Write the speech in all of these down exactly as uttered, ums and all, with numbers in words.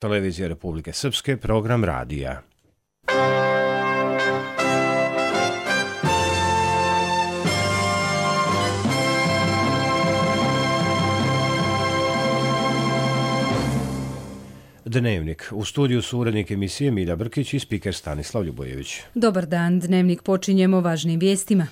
Televizija Republike Srpske, program radija. Dnevnik. U studiju su urednik emisije Milja Brkić i spiker Stanislav Ljubojević. Dobar dan, Dnevnik počinjemo važnim vijestima.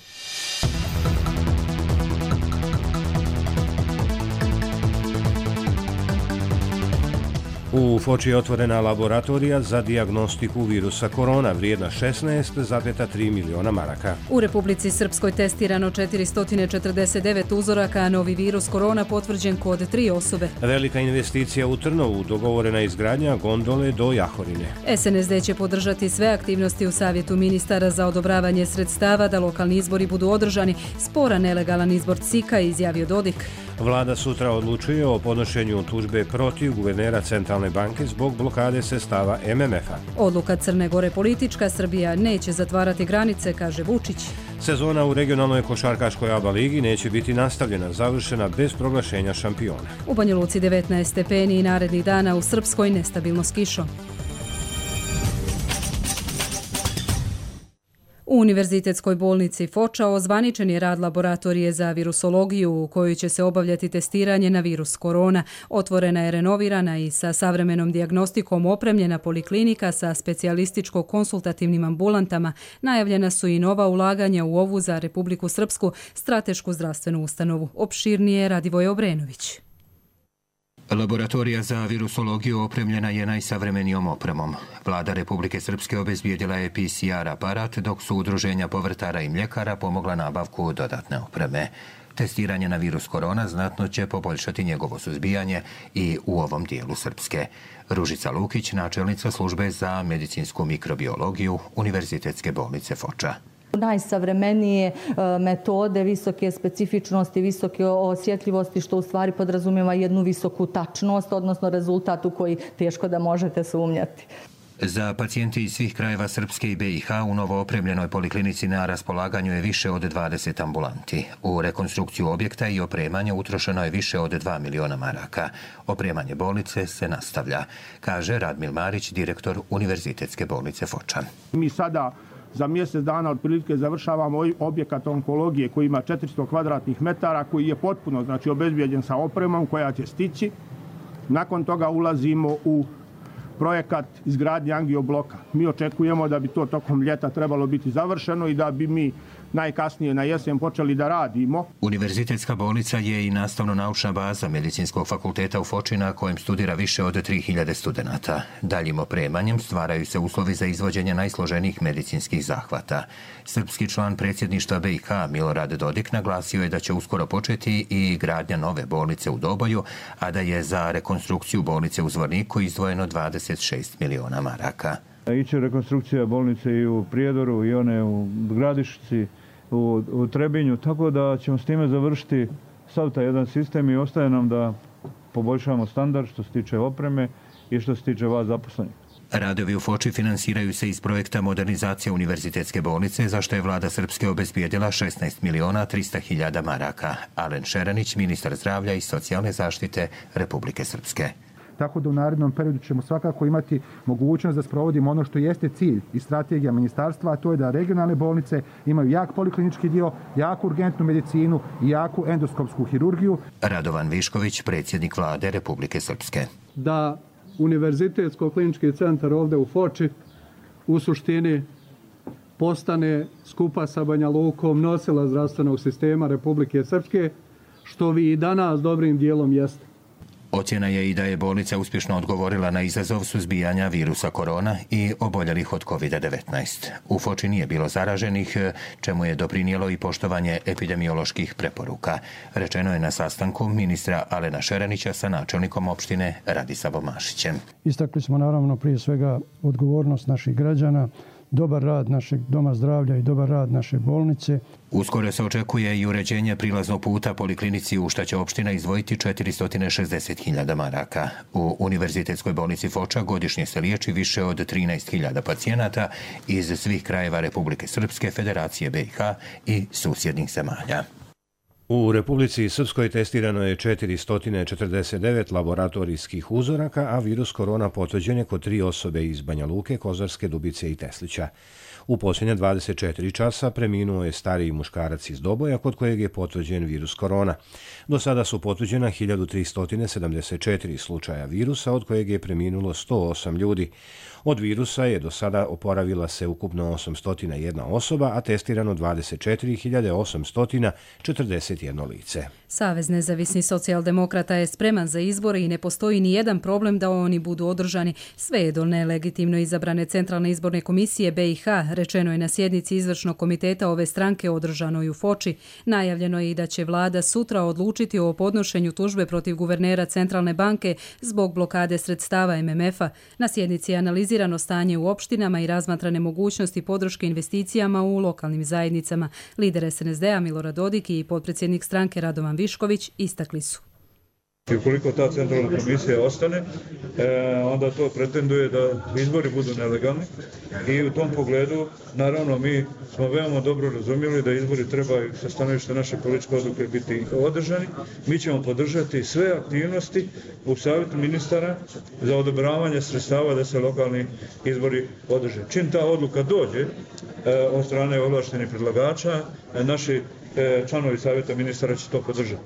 U Foči je otvorena laboratorija za dijagnostiku virusa korona vrijedna šesnaest zarez tri miliona maraka. U Republici Srpskoj testirano četiristo četrdeset devet uzoraka, a novi virus korona potvrđen kod tri osobe. Velika investicija u Trnovu, dogovorena izgradnja gondole do Jahorine. S N S D će podržati sve aktivnosti u Savjetu ministara za odobravanje sredstava da lokalni izbori budu održani. Spora nelegalan izbor C I K-a, izjavio Dodik. Vlada sutra odlučuje o podnošenju tužbe protiv guvernera Centralne banke zbog blokade sredstava M M F-a. Odluka Crne Gore politička, Srbija neće zatvarati granice, kaže Vučić. Sezona u regionalnoj košarkaškoj A B A ligi neće biti nastavljena, završena bez proglašenja šampiona. U Banja Luci devetnaest stepeni i narednih dana, u Srpskoj nestabilno s kišom. U Univerzitetskoj bolnici Foča ozvaničen je rad laboratorije za virusologiju u kojoj će se obavljati testiranje na virus korona. Otvorena je renovirana i sa savremenom dijagnostikom opremljena poliklinika sa specijalističko-konsultativnim ambulantama. Najavljena su i nova ulaganja u ovu za Republiku Srpsku stratešku zdravstvenu ustanovu. Opširnije Radivoje Obrenović. Laboratorija za virusologiju opremljena je najsavremenijom opremom. Vlada Republike Srpske obezbijedila je P C R aparat, dok su udruženja povrtara i mljekara pomogla nabavku dodatne opreme. Testiranje na virus korona znatno će poboljšati njegovo suzbijanje i u ovom dijelu Srpske. Ružica Lukić, načelnica službe za medicinsku mikrobiologiju Univerzitetske bolnice Foča. Najsavremenije metode, visoke specifičnosti, visoke osjetljivosti, što u stvari podrazumijeva jednu visoku tačnost, odnosno rezultat u koji teško da možete sumnjati. Za pacijente iz svih krajeva Srpske i B i H u novo opremljenoj poliklinici na raspolaganju je više od dvadeset ambulanti. U rekonstrukciju objekta i opremanje utrošeno je više od dva miliona maraka. Opremanje bolnice se nastavlja, kaže Radmil Marić, direktor Univerzitetske bolnice Foča. Mi sada za mjesec dana otprilike završavamo objekat onkologije koji ima četiristo kvadratnih metara, koji je potpuno znači obezbijeđen sa opremom koja će stići. Nakon toga ulazimo u projekat izgradnje angiobloka. Mi očekujemo da bi to tokom ljeta trebalo biti završeno i da bi mi najkasnije na jesen počeli da radimo. Univerzitetska bolnica je i nastavno-naučna baza Medicinskog fakulteta u Foči na kojem studira više od tri hiljade studenata. Daljim opremanjem stvaraju se uslovi za izvođenje najsloženijih medicinskih zahvata. Srpski član predsjedništva B i H Milorad Dodik naglasio je da će uskoro početi i gradnja nove bolnice u Doboju, a da je za rekonstrukciju bolnice u Zvorniku izdvojeno dvadeset šest miliona maraka. Iće rekonstrukcija bolnice i u Prijedoru i one u Gradišci, u, u Trebinju, tako da ćemo s time završiti sav taj jedan sistem i ostaje nam da poboljšamo standard što se tiče opreme i što se tiče vas zaposlenih. Radovi u Foči finansiraju se iz projekta modernizacije Univerzitetske bolnice, za što je vlada Srpske obezbijedila šesnaest miliona trista hiljada maraka. Alen Šeranić, ministar zdravlja i socijalne zaštite Republike Srpske. Tako da u narednom periodu ćemo svakako imati mogućnost da sprovodimo ono što jeste cilj i strategija ministarstva, a to je da regionalne bolnice imaju jak poliklinički dio, jaku urgentnu medicinu i jaku endoskopsku hirurgiju. Radovan Višković, predsjednik vlade Republike Srpske. Da Univerzitetsko-klinički centar ovdje u Foči u suštini postane skupa sa Banja Lukom nosila zdravstvenog sistema Republike Srpske, što vi i danas dobrim dijelom jeste. Ocjena je i da je bolnica uspješno odgovorila na izazov suzbijanja virusa korona i oboljelih od kovid devetnaest. U Foči nije bilo zaraženih, čemu je doprinijelo i poštovanje epidemioloških preporuka. Rečeno je na sastanku ministra Alena Šeranića sa načelnikom opštine Radisavom Mašićem. Istakli smo naravno prije svega odgovornost naših građana, dobar rad našeg doma zdravlja i dobar rad naše bolnice. Uskoro se očekuje i uređenje prilaznog puta poliklinici u šta će opština izdvojiti četiristo šezdeset hiljada maraka. U Univerzitetskoj bolnici Foča godišnje se liječi više od trinaest hiljada pacijenata iz svih krajeva Republike Srpske, Federacije B i H i susjednih zemalja. U Republici Srpskoj testirano je četiristo četrdeset devet laboratorijskih uzoraka, a virus korona potvrđen je kod tri osobe iz Banja Luke, Kozarske, Dubice i Teslića. U posljednje dvadeset četiri časa preminuo je stariji muškarac iz Doboja kod kojeg je potvrđen virus korona. Do sada su potvrđena hiljadu tristo sedamdeset četiri slučaja virusa, od kojeg je preminulo sto osam ljudi. Od virusa je do sada oporavila se ukupno osamsto jedna osoba, a testirano dvadeset četiri hiljade osamsto četrdeset jedno lice. Savez nezavisnih socijaldemokrata je spreman za izbore i ne postoji ni jedan problem da oni budu održani. Sve je do nelegitimno izabrane Centralne izborne komisije B i H, rečeno je na sjednici izvršnog komiteta ove stranke održanoj u Foči. Najavljeno je i da će vlada sutra odlučiti o podnošenju tužbe protiv guvernera Centralne banke zbog blokade sredstava M M F-a. Na sjednici je analizirano stanje u opštinama i razmatrane mogućnosti podrške investicijama u lokalnim zajednicama. Lider S N S D-a Milorad Dodik i potpredsjednik stranke Radovan Višković istakli su. I ukoliko ta centralna komisija ostane, onda to pretenduje da izbori budu nelegalni i u tom pogledu, naravno, mi smo veoma dobro razumjeli da izbori trebaju sa stanovišta naše političke odluke biti održani. Mi ćemo podržati sve aktivnosti u savjetu ministara za odobravanje sredstava da se lokalni izbori održe. Čim ta odluka dođe od strane ovlaštenih predlagača, naši članovi savjeta ministara će to podržati.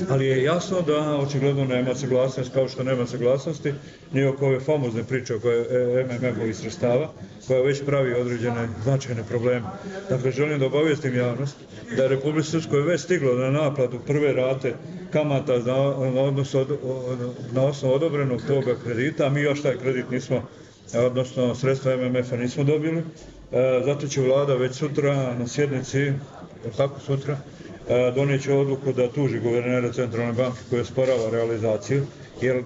Ali je jasno da očigledno nema saglasnosti, kao što nema saglasnosti ni oko ove famozne priče oko M M F-ovih sredstava, koja već pravi određene značajne probleme. Dakle, želim da obavijestim javnost da je Republici Srpskoj već stiglo na naplatu prve rate kamata na, odnosno, na osnovu odobrenog toga kredita, a mi još taj kredit nismo, odnosno sredstva M M F-a nismo dobili. Zato će vlada već sutra na sjednici, kako sutra, donijet će odluku da tuži guvernera Centralne banke koja sporava realizaciju, jer e,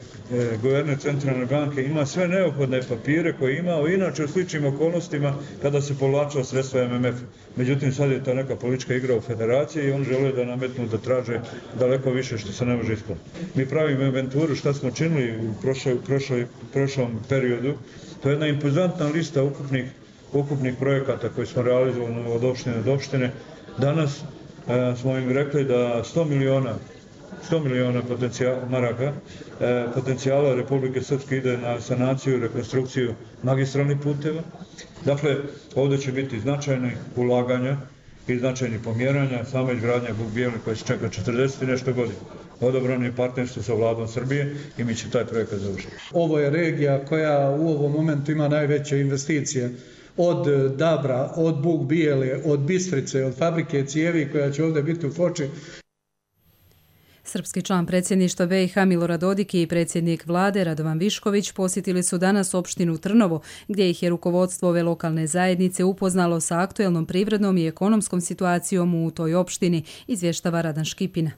guverner Centralne banke ima sve neophodne papire koje je imao inače u sličnim okolnostima kada se povlačilo sredstva M M F. Međutim, sad je to neka politička igra u federaciji i on žele da nametnu da traže daleko više što se ne može ispuniti. Mi pravimo inventuru šta smo činili u prošloj, prošloj, prošlom periodu. To je jedna impozantna lista ukupnih, ukupnih projekata koji smo realizovali od opštine do opštine. Danas E, smo im rekli da sto miliona potencijala, maraka e, potencijala Republike Srpske ide na sanaciju i rekonstrukciju magistralnih puteva. Dakle, ovdje će biti značajni ulaganja i značajni pomjeranja, sama izgradnja Buk-Bijeli koja se čeka četrdeset i nešto godina. Odobrano je partnerstvo sa vladom Srbije i mi će taj projekat završiti. Ovo je regija koja u ovom momentu ima najveće investicije. Od Dabra, od Buk-Bijele, od Bistrice, od fabrike cijevi koja će ovdje biti u Foči. Srpski član predsjedništva B i H Milorad Dodik i predsjednik vlade Radovan Višković posjetili su danas opštinu Trnovo, gdje ih je rukovodstvo ove lokalne zajednice upoznalo sa aktuelnom privrednom i ekonomskom situacijom u toj opštini, izvještava Radan Škipina.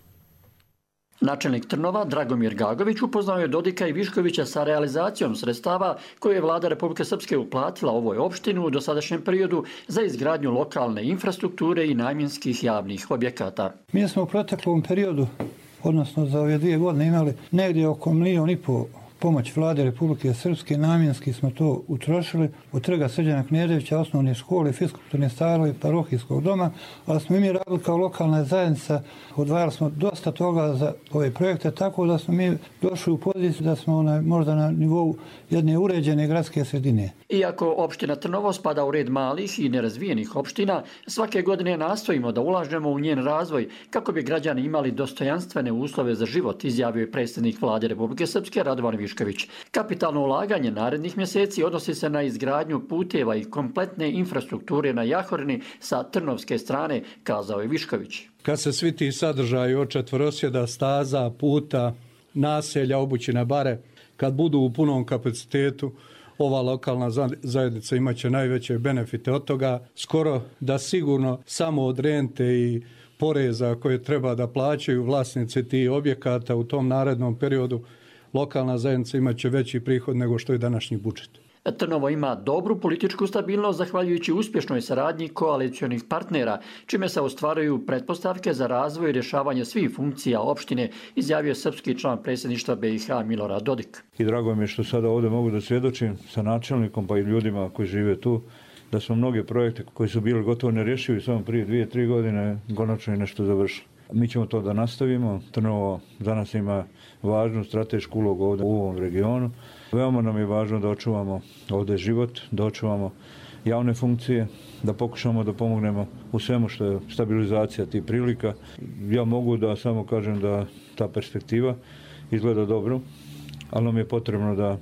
Načelnik Trnova Dragomir Gagović upoznao je Dodika i Viškovića sa realizacijom sredstava koje je vlada Republike Srpske uplatila ovoj opštini u dosadašnjem periodu za izgradnju lokalne infrastrukture i namjenskih javnih objekata. Mi smo u proteklom periodu, odnosno za ove dvije godine, imali negdje oko milijon i pol pomoć vlade Republike Srpske, namjenski smo to utrošili od Trga Srđana Knježevića, osnovne škole, fiskulturne stanove, parohijskog doma, ali smo i mi radili kao lokalna zajednica, odvajali smo dosta toga za ove projekte, tako da smo mi došli u poziciju da smo na, možda na nivou jedne uređene gradske sredine. Iako opština Trnovo spada u red malih i nerazvijenih opština, svake godine nastojimo da ulažemo u njen razvoj kako bi građani imali dostojanstvene uslove za život, izjavio je predsjednik vlade Republike Srpske Radovan Višković. Kapitalno ulaganje narednih mjeseci odnosi se na izgradnju puteva i kompletne infrastrukture na Jahorini sa trnovske strane, kazao je Višković. Kad se svi ti sadržaji od četvorosjeda, staza, puta, naselja, obućine bare, kad budu u punom kapacitetu, ova lokalna zajednica imaće najveće benefite od toga. Skoro da sigurno samo od rente i poreza koje treba da plaćaju vlasnici tih objekata u tom narednom periodu, lokalna zajednica imaće veći prihod nego što je današnji budžet. Trnovo ima dobru političku stabilnost zahvaljujući uspješnoj saradnji koalicionih partnera, čime se ostvaruju pretpostavke za razvoj i rješavanje svih funkcija opštine, izjavio srpski član predsjedništva B i H Milorad Dodik. I drago mi je što sada ovdje mogu da svjedočim sa načelnikom pa i ljudima koji žive tu, da smo mnoge projekte koji su bili gotovo nerješivi samo prije dvije, tri godine konačno je nešto završili. Mi ćemo to da nastavimo. Trnovo za nas ima važnu stratešku ulogu ovdje u ovom regionu. Veoma nam je važno da očuvamo ovdje život, da očuvamo javne funkcije, da pokušamo da pomognemo u svemu što je stabilizacija tih prilika. Ja mogu da samo kažem da ta perspektiva izgleda dobro, ali nam je potrebno da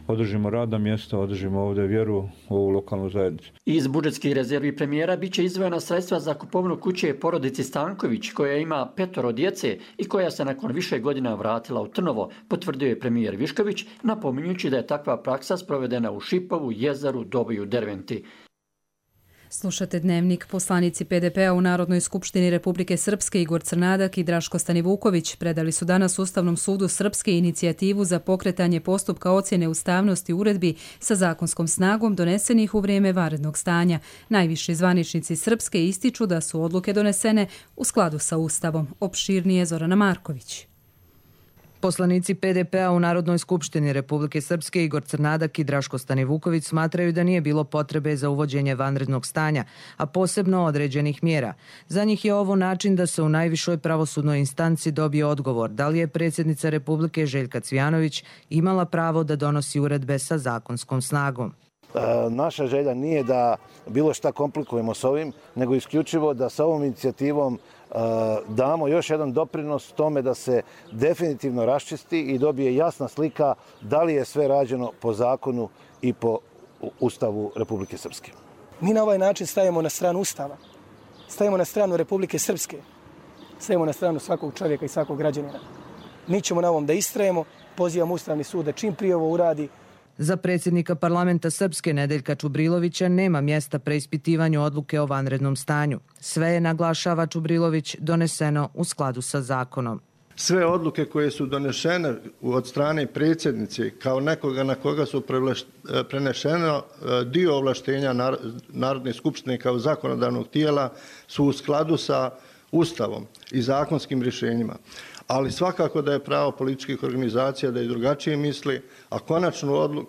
održimo radna mjesta, održimo ovdje vjeru u ovu lokalnu zajednicu. Iz budžetskih rezervi premijera biće izdvojena sredstva za kupovinu kuće porodici Stanković, koja ima petoro djece i koja se nakon više godina vratila u Trnovo, potvrdio je premijer Višković, napominjući da je takva praksa sprovedena u Šipovu, Jezaru, Dobu i Derventi. Slušate Dnevnik. Poslanici P D P-a u Narodnoj skupštini Republike Srpske Igor Crnadak i Draško Stanivuković predali su danas Ustavnom sudu Srpske inicijativu za pokretanje postupka ocjene ustavnosti uredbi sa zakonskom snagom donesenih u vrijeme vanrednog stanja. Najviši zvaničnici Srpske ističu da su odluke donesene u skladu sa Ustavom. Opširnije Zorana Marković. Poslanici P D P-a u Narodnoj skupštini Republike Srpske Igor Crnadak i Draško Stanivuković smatraju da nije bilo potrebe za uvođenje vanrednog stanja, a posebno određenih mjera. Za njih je ovo način da se u najvišoj pravosudnoj instanci dobije odgovor da li je predsjednica Republike Željka Cvijanović imala pravo da donosi uredbe sa zakonskom snagom. Naša želja nije da bilo šta komplikujemo s ovim, nego isključivo da sa ovom inicijativom damo još jedan doprinos tome da se definitivno raščisti i dobije jasna slika da li je sve rađeno po zakonu i po Ustavu Republike Srpske. Mi na ovaj način stajemo na stranu Ustava, stajemo na stranu Republike Srpske, stajemo na stranu svakog čovjeka i svakog građanina. Mi ćemo na ovom da istrajemo, pozivamo Ustavni sud da čim prije ovo uradi. Za predsjednika parlamenta Srpske Nedeljka Čubrilovića nema mjesta preispitivanju odluke o vanrednom stanju. Sve je, naglašava Čubrilović, doneseno u skladu sa zakonom. Sve odluke koje su donešene od strane predsjednice kao nekoga na koga su prenešeno dio ovlaštenja Narodne skupštine kao zakonodavnog tijela su u skladu sa Ustavom i zakonskim rješenjima. Ali svakako da je pravo političkih organizacija da i drugačije misli, a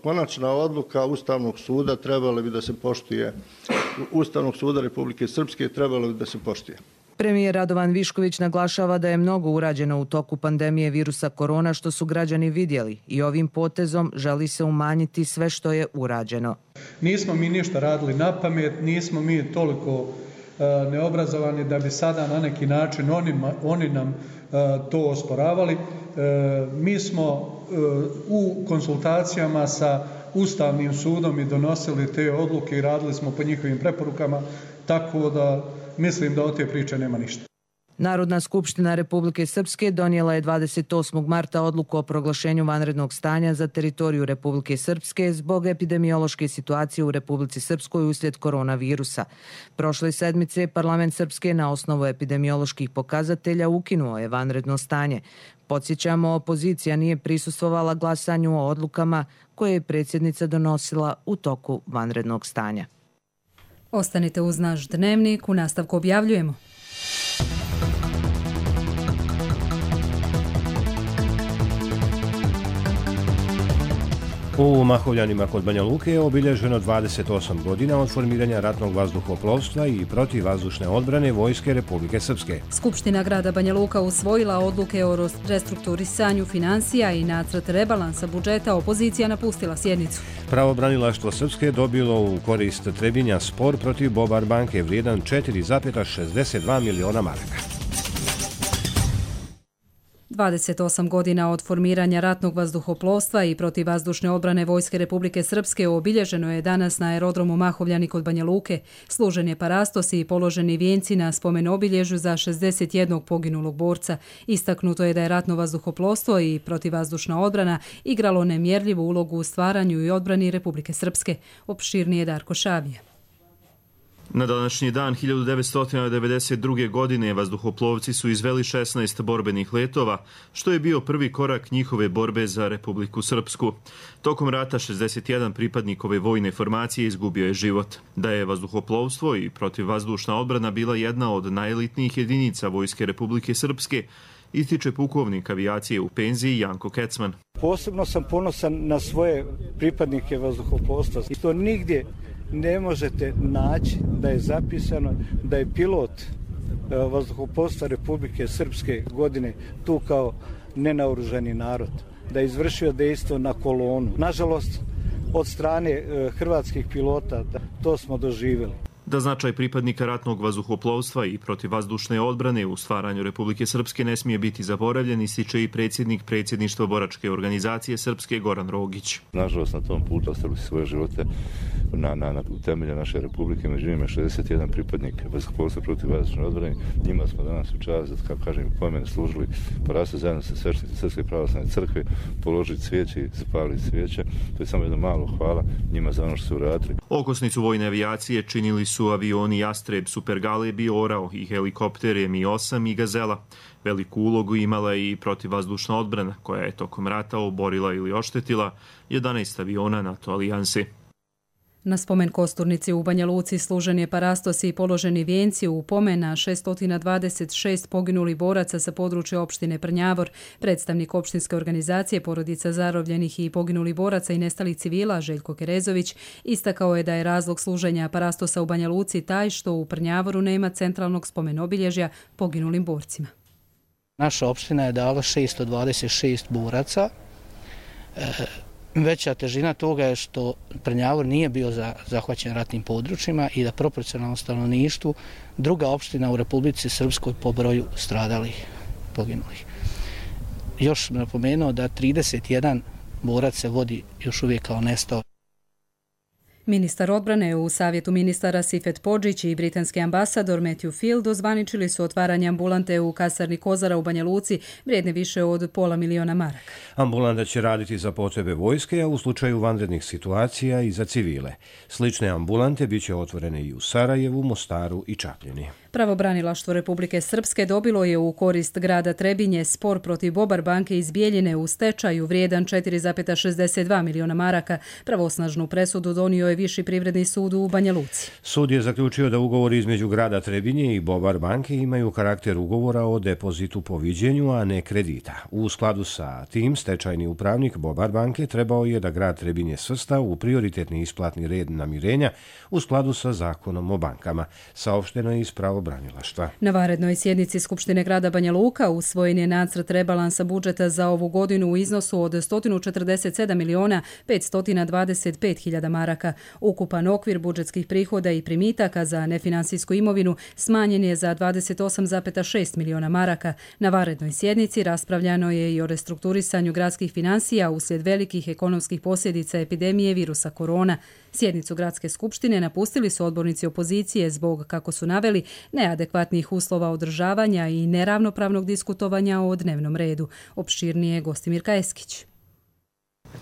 konačna odluka Ustavnog suda trebala bi da se poštuje, Ustavnog suda Republike Srpske trebala bi da se poštuje. Premijer Radovan Višković naglašava da je mnogo urađeno u toku pandemije virusa korona što su građani vidjeli i ovim potezom želi se umanjiti sve što je urađeno. Nismo mi ništa radili na pamet, nismo mi toliko neobrazovani da bi sada na neki način oni, oni nam to osporavali. Mi smo u konsultacijama sa Ustavnim sudom i donosili te odluke i radili smo po njihovim preporukama, tako da mislim da od te priče nema ništa. Narodna skupština Republike Srpske donijela je dvadeset osmog marta odluku o proglašenju vanrednog stanja za teritoriju Republike Srpske zbog epidemiološke situacije u Republici Srpskoj uslijed koronavirusa. Prošle sedmice parlament Srpske na osnovu epidemioloških pokazatelja ukinuo je vanredno stanje. Podsjećamo, opozicija nije prisustvovala glasanju o odlukama koje je predsjednica donosila u toku vanrednog stanja. Ostanite uz naš Dnevnik, u nastavku objavljujemo. U Mahovljanima kod Banja Luke je obilježeno dvadeset osam godina od formiranja ratnog vazduhoplovstva i protivvazdušne odbrane Vojske Republike Srpske. Skupština grada Banja Luka usvojila odluke o restrukturisanju financija i nacrt rebalansa budžeta, opozicija napustila sjednicu. Pravobranilaštvo Srpske dobilo u korist Trebinja spor protiv Bobar banke vrijedan četiri zarez šezdeset dva miliona maraka. dvadeset osam godina od formiranja ratnog vazduhoplovstva i protivvazdušne odbrane Vojske Republike Srpske obilježeno je danas na aerodromu Mahovljani kod Banja Luke. Služen je parastos i položeni vijenci na spomen obilježju za šezdeset jednog poginulog borca. Istaknuto je da je ratno vazduhoplovstvo i protivvazdušna odbrana igralo nemjerljivu ulogu u stvaranju i odbrani Republike Srpske. Opširnije Darko Šavije. Na današnji dan hiljadu devetsto devedeset druge. godine vazduhoplovci su izveli šesnaest borbenih letova, što je bio prvi korak njihove borbe za Republiku Srpsku. Tokom rata šezdeset jedan pripadnik ove vojne formacije izgubio je život. Da je vazduhoplovstvo i protivvazdušna odbrana bila jedna od najelitnijih jedinica Vojske Republike Srpske, ističe pukovnik avijacije u penziji Janko Kecman. Posebno sam ponosan na svoje pripadnike vazduhoplovstva. I to nigdje ne možete naći da je zapisano da je pilot vazduhoplovstva Republike Srpske godine tu kao nenaoružani narod, da je izvršio dejstvo na kolonu. Nažalost, od strane hrvatskih pilota to smo doživjeli. Da značaj pripadnika ratnog vazduhoplovstva i protivvazdušne odbrane u stvaranju Republike Srpske ne smije biti zaboravljen, ističe i predsjednik predsjedništva boračke organizacije Srpske Goran Rogić. Nažalost, na tom putu ostavili svoje živote na, na, na temelje naše Republike, među njima šezdeset jedan pripadnik vazduhoplovstva protivvazdušne odbrane. Njima smo danas u čast, kako kažem, pomene služili porasti zajedno sa sveštenici Srpske pravoslavne crkve, položiti cvijeće i zapaliti cvijeće. To je samo jedno malo hvala njima za ono što su uradili. Okosnicu vojne avijacije činili su su avioni Jastreb, Super Galeb, Orao i helikopter M I osam i Gazela. Veliku ulogu imala je i protivvazdušna odbrana, koja je tokom rata oborila ili oštetila jedanaest aviona NATO alijanse. Na spomen kosturnici u Banja Luci služen je parastos i položeni vijenci u pomen na šesto dvadeset šest poginulih boraca sa područja opštine Prnjavor. Predstavnik opštinske organizacije porodica zarobljenih i poginulih boraca i nestalih civila Željko Kerezović istakao je da je razlog služenja parastosa u Banja Luci taj što u Prnjavoru nema centralnog spomen obilježja poginulim borcima. Naša opština je dala šesto dvadeset šest boraca. E, Veća težina toga je što Prnjavor nije bio za, zahvaćen ratnim područjima i da proporcionalno stanovništvu druga opština u Republici Srpskoj po broju stradalih, poginulih. Još napomenuo da trideset jedan borac se vodi još uvijek kao nestao. Ministar odbrane u Savjetu ministara Sifet Podžić i britanski ambasador Matthew Field ozvaničili su otvaranje ambulante u kasarni Kozara u Banja Luci vrijedne više od pola miliona maraka. Ambulanta će raditi za potrebe vojske, a u slučaju vanrednih situacija i za civile. Slične ambulante biće otvorene i u Sarajevu, Mostaru i Čapljini. Pravobranilaštvo Republike Srpske dobilo je u korist grada Trebinje spor protiv Bobar banke iz Bijeljine u stečaju vrijedan četiri zarez šezdeset dva miliona maraka. Pravosnažnu presudu donio je Viši privredni sud u Banja Luci. Sud je zaključio da ugovori između grada Trebinje i Bobar banke imaju karakter ugovora o depozitu po viđenju, a ne kredita. U skladu sa tim, stečajni upravnik Bobar banke trebao je da grad Trebinje svrsta u prioritetni isplatni red namirenja u skladu sa zakonom o bankama, saopšteno je iz pravobranilaštva. Na vanrednoj sjednici Skupštine grada Banja Luka usvojen je nacrt rebalansa budžeta za ovu godinu u iznosu od sto četrdeset sedam miliona petsto dvadeset pet hiljada maraka. Ukupan okvir budžetskih prihoda i primitaka za nefinansijsku imovinu smanjen je za dvadeset osam zarez šest miliona maraka. Na vanrednoj sjednici raspravljano je i o restrukturisanju gradskih finansija uslijed velikih ekonomskih posljedica epidemije virusa korona. Sjednicu gradske skupštine napustili su odbornici opozicije zbog, kako su naveli, neadekvatnih uslova održavanja i neravnopravnog diskutovanja o dnevnom redu. Opširnije Gostimirka Eskić.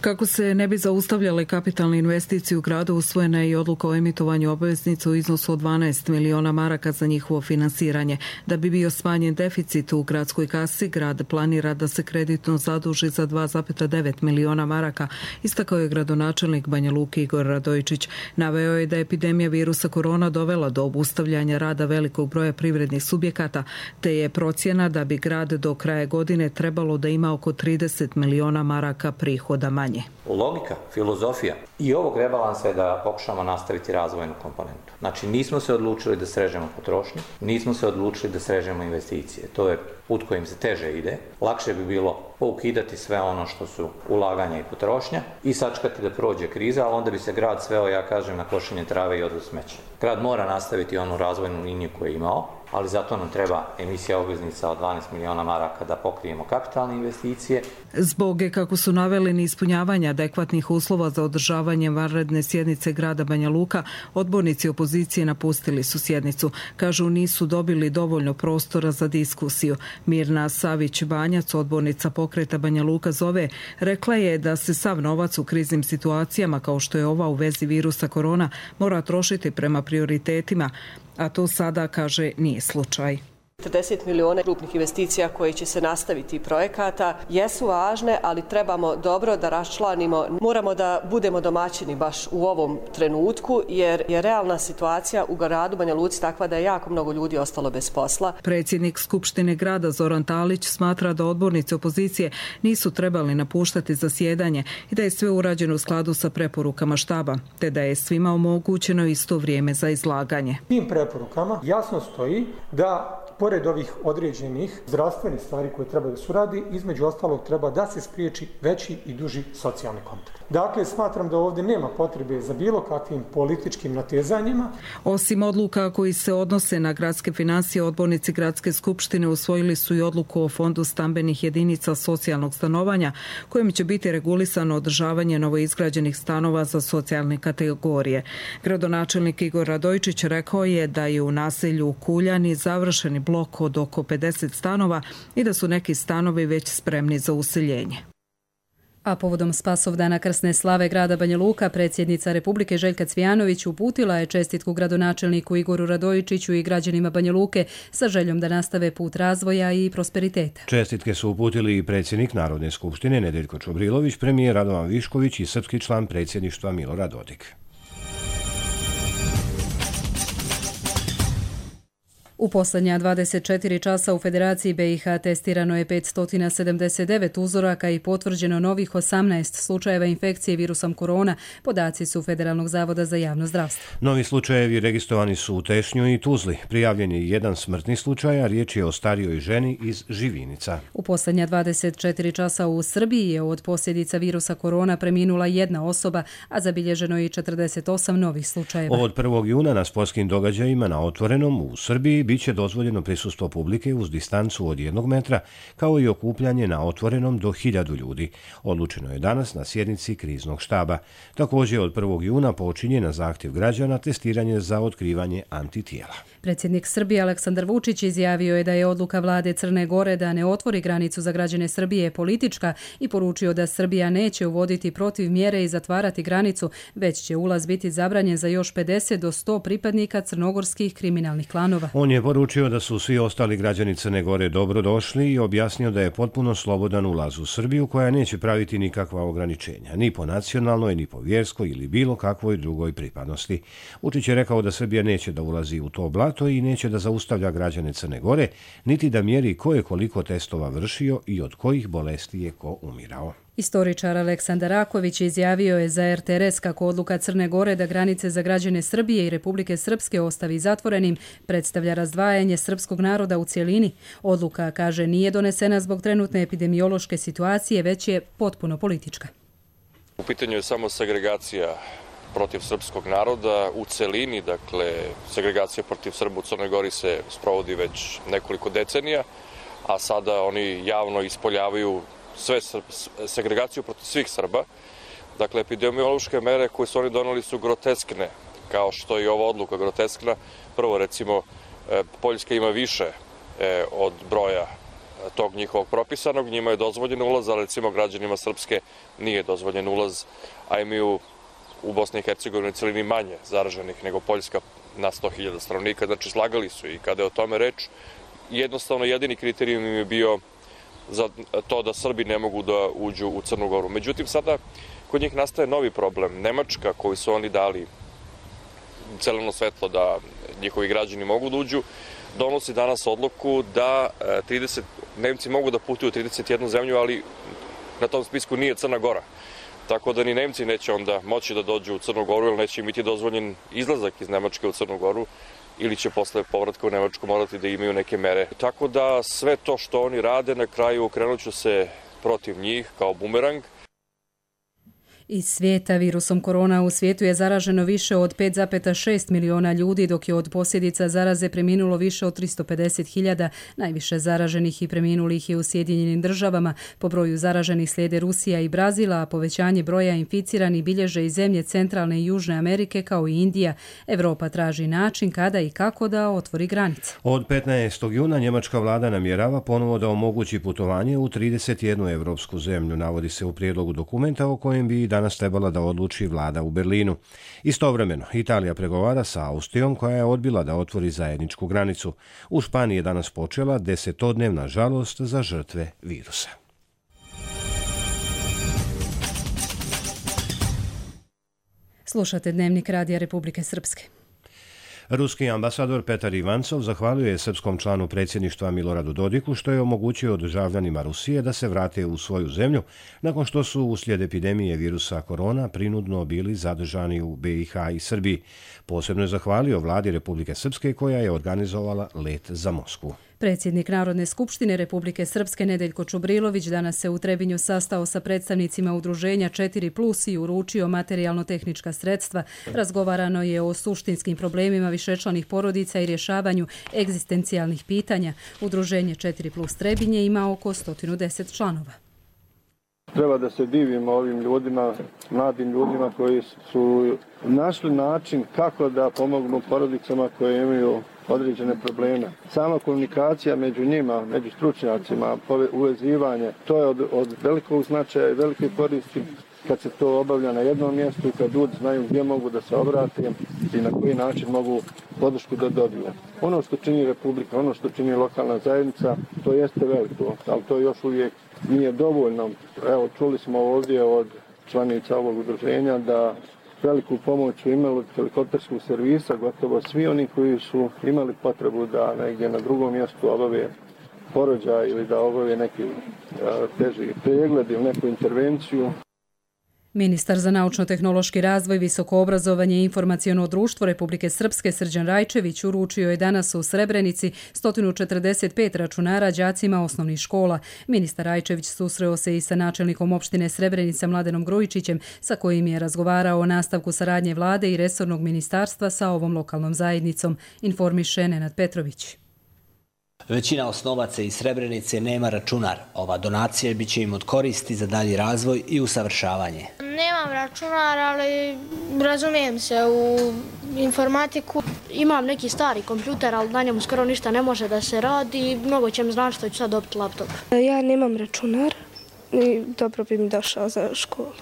Kako se ne bi zaustavljale kapitalne investicije u gradu, usvojena je i odluka o emitovanju obveznica u iznosu od dvanaest miliona maraka za njihovo finansiranje. Da bi bio smanjen deficit u gradskoj kasi, grad planira da se kreditno zaduži za dva zarez devet miliona maraka, istakao je gradonačelnik Banja Luke Igor Radojičić. Naveo je da je epidemija virusa korona dovela do obustavljanja rada velikog broja privrednih subjekata, te je procjena da bi grad do kraja godine trebalo da ima oko trideset miliona maraka prihoda manje. Logika, filozofija i ovog rebalansa je da pokušamo nastaviti razvojnu komponentu. Znači, nismo se odlučili da srežemo potrošnju, nismo se odlučili da srežemo investicije. To je put kojim se teže ide. Lakše bi bilo poukidati sve ono što su ulaganja i potrošnja i sačekati da prođe kriza, a onda bi se grad sveo, ja kažem, na košenje trave i odvoz smeća. Grad mora nastaviti onu razvojnu liniju koju je imao, ali zato nam treba emisija obveznica od dvanaest miliona maraka da pokrijemo kapitalne investicije. Zbog, kako su naveli, neispunjavanja adekvatnih uslova za održavanje vanredne sjednice grada Banja Luka, odbornici opozicije napustili su sjednicu. Kažu, nisu dobili dovoljno prostora za diskusiju. Mirna Savić-Banjac, odbornica pokreta Banja Luka zove, rekla je da se sav novac u kriznim situacijama, kao što je ova u vezi virusa korona, mora trošiti prema prioritetima, a to sada, kaže, nije slučaj. četrdeset miliona krupnih investicija koje će se nastaviti projekata jesu važne, ali trebamo dobro da raščlanimo. Moramo da budemo domaćini baš u ovom trenutku, jer je realna situacija u gradu Banja Luci takva da je jako mnogo ljudi ostalo bez posla. Predsjednik Skupštine grada Zoran Talić smatra da odbornici opozicije nisu trebali napuštati zasjedanje i da je sve urađeno u skladu sa preporukama štaba, te da je svima omogućeno isto vrijeme za izlaganje. Tim preporukama jasno stoji da pored ovih određenih zdravstvenih stvari koje treba da se uradi, između ostalog treba da se spriječi veći i duži socijalni kontakt. Dakle, smatram da ovdje nema potrebe za bilo kakvim političkim natezanjima. Osim odluka koji se odnose na gradske financije, odbornici Gradske skupštine usvojili su i odluku o fondu stambenih jedinica socijalnog stanovanja, kojim će biti regulisano održavanje novoizgrađenih stanova za socijalne kategorije. Gradonačelnik Igor Radojčić rekao je da je u naselju Kuljani završeni blok od oko pedeset stanova i da su neki stanovi već spremni za useljenje. A povodom Spasovdana krsne slave grada Banja Luka, predsjednica Republike Željka Cvijanović uputila je čestitku gradonačelniku Igoru Radojičiću i građanima Banja Luke sa željom da nastave put razvoja i prosperiteta. Čestitke su uputili i predsjednik Narodne skupštine Nedeljko Čobrilović, premijer Radovan Višković i srpski član predsjedništva Milorad Dodik. U posljednja dvadeset četiri časa u Federaciji B i H testirano je petsto sedamdeset devet uzoraka i potvrđeno novih osamnaest slučajeva infekcije virusom korona, podaci su Federalnog zavoda za javno zdravstvo. Novi slučajevi registrovani su u Tešnju i Tuzli. Prijavljen je jedan smrtni slučaj, a riječ je o starijoj ženi iz Živinica. U posljednja dvadeset četiri časa u Srbiji je od posljedica virusa korona preminula jedna osoba, a zabilježeno je i četrdeset osam novih slučajeva. Od prvog juna na sportskim događajima na Otvorenom u Srbiji biće dozvoljeno prisustvo publike uz distancu od jednog metra, kao i okupljanje na Otvorenom do hiljadu ljudi. Odlučeno je danas na sjednici kriznog štaba. Također od prvog juna počinje na zahtjev građana testiranje za otkrivanje antitijela. Predsjednik Srbije Aleksandar Vučić izjavio je da je odluka vlade Crne Gore da ne otvori granicu za građane Srbije politička i poručio da Srbija neće uvoditi protiv mjere i zatvarati granicu, već će ulaz biti zabranjen za još pedeset do sto pripadnika crnogorskih kriminalnih klanova. On je poručio da su svi ostali građani Crne Gore dobro došli i objasnio da je potpuno slobodan ulaz u Srbiju koja neće praviti nikakva ograničenja, ni po nacionalnoj, ni po vjerskoj ili bilo kakvoj drugoj pripadnosti. Vučić je rekao da Srbija neće da ulazi u to blato i neće da zaustavlja građane Crne Gore, niti da mjeri ko je koliko testova vršio i od kojih bolesti je ko umirao. Istoričar Aleksandar Raković izjavio je za er te er es kako odluka Crne Gore da granice za građane Srbije i Republike Srpske ostavi zatvorenim predstavlja razdvajanje srpskog naroda u cjelini. Odluka, kaže, nije donesena zbog trenutne epidemiološke situacije, već je potpuno politička. U pitanju je samo segregacija protiv srpskog naroda u celini, dakle segregacija protiv Srba u Crnoj Gori se sprovodi već nekoliko decenija, a sada oni javno ispoljavaju sve segregaciju protiv svih Srba. Dakle, epidemiološke mere koje su oni doneli su groteskne, kao što je ova odluka groteskna. Prvo, recimo, Poljska ima više od broja tog njihovog propisanog, njima je dozvoljen ulaz, ali recimo građanima Srpske nije dozvoljen ulaz, a imaju u Bosni i Hercegovini celini manje zaraženih nego Poljska na sto hiljada stanovnika, znači slagali su i kada je o tome reč, jednostavno jedini kriterijum im je bio za to da Srbi ne mogu da uđu u Crnu Goru. Međutim, sada kod njih nastaje novi problem. Nemačka, koju su oni dali zeleno svetlo da njihovi građani mogu da uđu, donosi danas odluku da trideset, Nemci mogu da putuju u trideset jednu zemlju, ali na tom spisku nije Crna Gora. Tako da ni Nemci neće onda moći da dođu u Crnu Goru, jer neće im biti dozvoljen izlazak iz Nemačke u Crnu Goru, ili će posle povratka u Nemačku morati da imaju neke mere. Tako da sve to što oni rade, na kraju okrenut ću se protiv njih kao bumerang. Iz svijeta virusom korona u svijetu je zaraženo više od pet zarez šest miliona ljudi, dok je od posljedica zaraze preminulo više od tristo pedeset hiljada. Najviše zaraženih i preminulih je u Sjedinjenim državama. Po broju zaraženih slijede Rusija i Brazila, a povećanje broja inficiranih bilježe i zemlje Centralne i Južne Amerike kao i Indija. Evropa traži način kada i kako da otvori granice. Od petnaestog juna njemačka vlada namjerava ponovo da omogući putovanje u trideset jednu evropsku zemlju, navodi se u prijedlogu dokumenta o kojem bi danas trebala da odluči vlada u Berlinu. Istovremeno, Italija pregovara sa Austrijom koja je odbila da otvori zajedničku granicu. U Španiji je danas počela desetodnevna žalost za žrtve virusa. Slušate Dnevnik Radija Republike Srpske. Ruski ambasador Petar Ivancov zahvalio je srpskom članu predsjedništva Miloradu Dodiku što je omogućio državljanima Rusije da se vrate u svoju zemlju nakon što su uslijed epidemije virusa korona prinudno bili zadržani u B i H i Srbiji. Posebno je zahvalio vladi Republike Srpske koja je organizovala let za Moskvu. Predsjednik Narodne skupštine Republike Srpske Nedeljko Čubrilović danas se u Trebinju sastao sa predstavnicima udruženja četiri plus i uručio materijalno-tehnička sredstva. Razgovarano je o suštinskim problemima višečlanih porodica i rješavanju egzistencijalnih pitanja. Udruženje četiri plus Trebinje ima oko sto deset članova. Treba da se divimo ovim ljudima, mladim ljudima koji su našli način kako da pomognu porodicama koje imaju određene probleme. Sama komunikacija među njima, među stručnjacima, uvezivanje, to je od, od velikog značaja i velike koristi kad se to obavlja na jednom mjestu i kad ljudi znaju gdje mogu da se obrate i na koji način mogu podršku da dobiju. Ono što čini Republika, ono što čini lokalna zajednica, to jeste veliko, ali to još uvijek nije dovoljno. Evo, čuli smo ovdje od članica ovog udruženja da veliku pomoć su imali od helikopterskog servisa, gotovo svi oni koji su imali potrebu da negdje na drugom mjestu obave porođaj ili da obave neki teži pregled ili neku intervenciju. Ministar za naučno-tehnološki razvoj, visoko obrazovanje i informaciono društvo Republike Srpske Srđan Rajčević uručio je danas u Srebrenici sto četrdeset pet računara đacima osnovnih škola. Ministar Rajčević susreo se i sa načelnikom opštine Srebrenica Mladenom Grujičićem, sa kojim je razgovarao o nastavku saradnje vlade i resornog ministarstva sa ovom lokalnom zajednicom, informiše Nenad Petrović. Većina osnovaca iz Srebrenice nema računar. Ova donacija biće im od koristi za dalji razvoj i usavršavanje. Nemam računar, ali razumijem se u informatiku. Imam neki stari kompjuter, ali na njemu skoro ništa ne može da se radi. Mnogo će mi znači što ću sad dobiti laptop. Ja nemam računar i dobro bi mi došao za školu.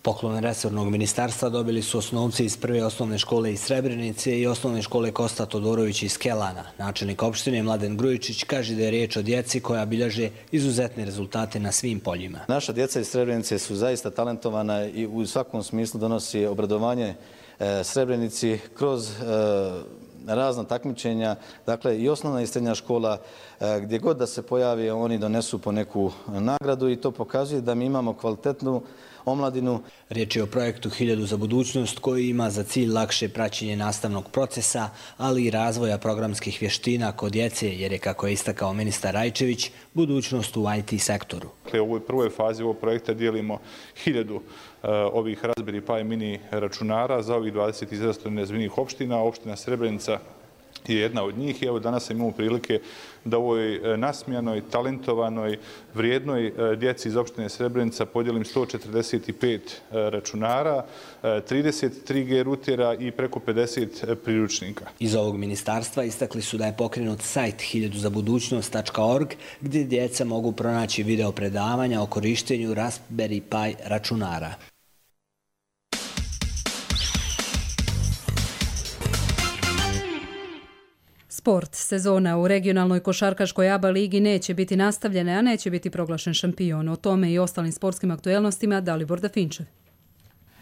Poklon resornog ministarstva dobili su osnovci iz prve osnovne škole iz Srebrenice i osnovne škole Kosta Todorović iz Kelana. Načelnik opštine Mladen Grujičić kaže da je riječ o djeci koja bilježe izuzetne rezultate na svim poljima. Naša djeca iz Srebrenice su zaista talentovana i u svakom smislu donosi obradovanje Srebrenici kroz razna takmičenja, dakle i osnovna i srednja škola, gdje god da se pojavi oni donesu po neku nagradu i to pokazuje da mi imamo kvalitetnu omladinu. Riječ je o projektu Hiljadu za budućnost koji ima za cilj lakše praćenje nastavnog procesa, ali i razvoja programskih vještina kod djece, jer je, kako je istakao ministar Rajčević, budućnost u I T sektoru. U ovoj prvoj fazi ovog projekta dijelimo hiljadu ovih Raspberry Pi mini računara za ovih dvadeset izrazito nerazvijenih opština. Opština Srebrenica je jedna od njih i evo danas imamo prilike da u ovoj nasmijanoj, talentovanoj, vrijednoj djeci iz opštine Srebrenica podijelim sto četrdeset pet računara, trideset tri G rutera i preko pedeset priručnika. Iz ovog ministarstva istakli su da je pokrenut sajt hiljadu za budućnost tačka org gdje djeca mogu pronaći video predavanja o korištenju Raspberry Pi računara. Sport. Sezona u regionalnoj košarkaškoj A B A ligi neće biti nastavljena, a neće biti proglašen šampion. O tome i ostalim sportskim aktuelnostima Dalibor Dafinčev.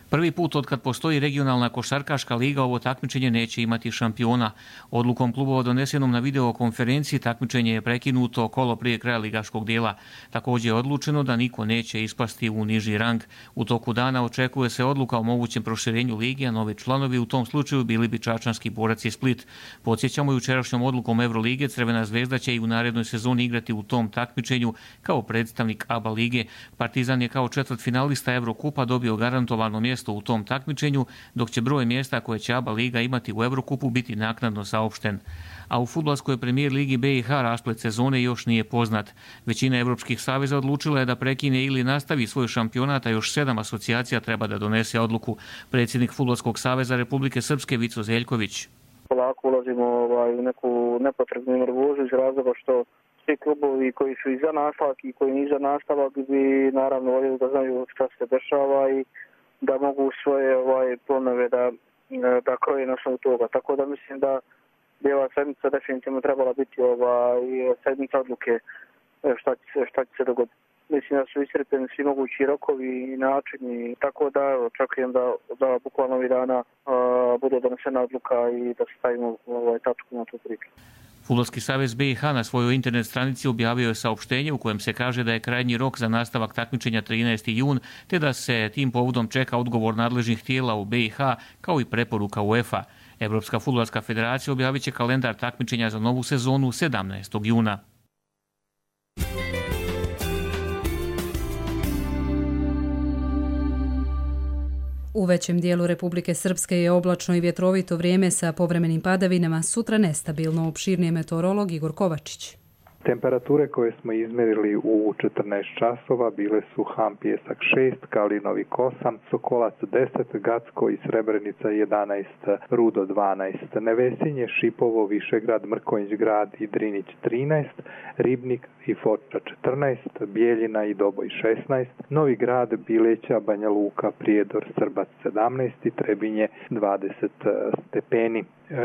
Prvi put od kad postoji regionalna košarkaška liga ovo takmičenje neće imati šampiona. Odlukom klubova donesenom na videokonferenciji takmičenje je prekinuto kolo prije kraja ligaškog dijela. Također je odlučeno da niko neće ispasti u niži rang. U toku dana očekuje se odluka o mogućem proširenju ligi, a novi članovi u tom slučaju bili bi čačanski Borac i Split. Podsjećamo, jučerašnjom odlukom Evrolige Crvena zvezda će i u narednoj sezoni igrati u tom takmičenju kao predstavnik A B A lige. Partizan je kao četvrtfinalista Evrokupa dobio garantovano mjesto u tom takmičenju, dok će broj mjesta koje će A B A liga imati u Evrokupu biti naknadno saopšten. A u fudbalskoj premijer ligi B i H rasplet sezone još nije poznat. Većina evropskih saveza odlučila je da prekine ili nastavi svoj šampionat, a još sedam asocijacija treba da donese odluku. Predsjednik Fudbalskog saveza Republike Srpske Vico Zeljković. Polako ulazimo ovaj, u neku nepotrebnu nervozu iz razloga što svi klubovi koji su iza nastavak i koji nisu iza nastavak bi naravno voljeli da znaju šta se dešava i da mogu svoje ovaj, planove da, da kroje na osnovu toga. Tako da mislim da bi ova sedmica definitivno trebala biti ovaj, sedmica odluke šta će, šta će se dogoditi. mislim da su iscrpljeni svi mogući rokovi i načini, tako da očekujem da, da bukvalno ovih dana a, bude donesena odluka i da stavimo ovaj, tačku na tu priču. Fudbalski savez B i H na svojoj internet stranici objavio je saopštenje u kojem se kaže da je krajnji rok za nastavak takmičenja trinaesti jun, te da se tim povodom čeka odgovor nadležnih tijela u B i H kao i preporuka UEFA. Evropska fudbalska federacija objavit će kalendar takmičenja za novu sezonu sedamnaestog juna. U većem dijelu Republike Srpske je oblačno i vjetrovito vrijeme sa povremenim padavinama, sutra nestabilno, opširnije meteorolog Igor Kovačić. Temperature koje smo izmjerili u četrnaest časova bile su Ham Pjesak šest, Kalinovik osam, Sokolac deset, Gacko i Srebrenica jedanaest, Rudo dvanaest, Nevesinje, Šipovo, Višegrad, Mrkonjić grad i Drinić trinaest, Ribnik i Foča četrnaest, Bijeljina i Doboj šesnaest, Novi Grad, Bileća, Banja Luka, Prijedor, Srbac sedamnaest i Trebinje dvadeset stepeni.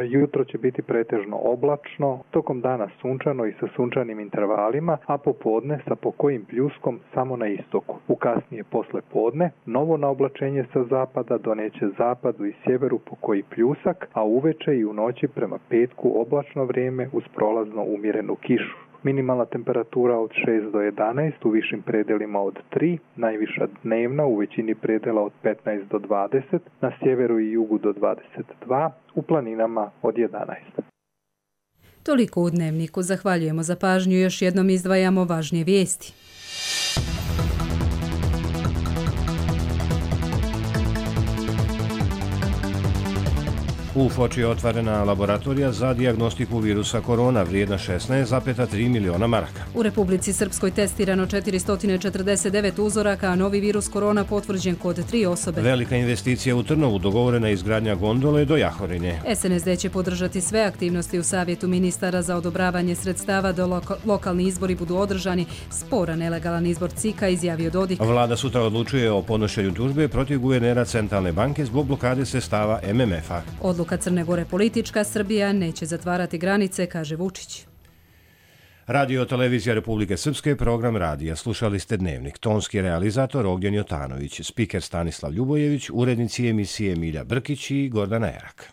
Jutro će biti pretežno oblačno, tokom dana sunčano i sa sunčanim intervalima, a popodne sa pokojim pljuskom samo na istoku. U kasnije posle podne novo naoblačenje sa zapada doneće zapadu i sjeveru pokoji pljusak, a uveče i u noći prema petku oblačno vrijeme uz prolazno umjerenu kišu. Minimalna temperatura od šest do jedanaest, u višim predelima od tri, najviša dnevna u većini predela od petnaest do dvadeset, na sjeveru i jugu do dvadeset dva, u planinama od jedanaest. Toliko u Dnevniku. Zahvaljujemo za pažnju i još jednom izdvajamo važnije vijesti. U Foči je otvorena laboratorija za dijagnostiku virusa korona vrijedna šesnaest zarez tri miliona maraka. U Republici Srpskoj testirano četiristo četrdeset devet uzoraka, a novi virus korona potvrđen kod tri osobe. Velika investicija u Trnovu, dogovorena izgradnja gondole do Jahorine. S N S D će podržati sve aktivnosti u Savjetu ministara za odobravanje sredstava da loka, lokalni izbori budu održani. Sporan nelegalan izbor C I K-a, izjavio Dodik. Vlada sutra odlučuje o podnošenju tužbe protiv guvernera Centralne banke zbog blokade sredstava M M F-a. Odluka Crne Gore politička, Srbija neće zatvarati granice, kaže Vučić. Radio televizija Republike Srpske, program radija. Slušali ste Dnevnik. Tonski realizator Ognjen Jotanović, spiker Stanislav Ljubojević, urednici emisije Milja Brkić i Gordana Erak.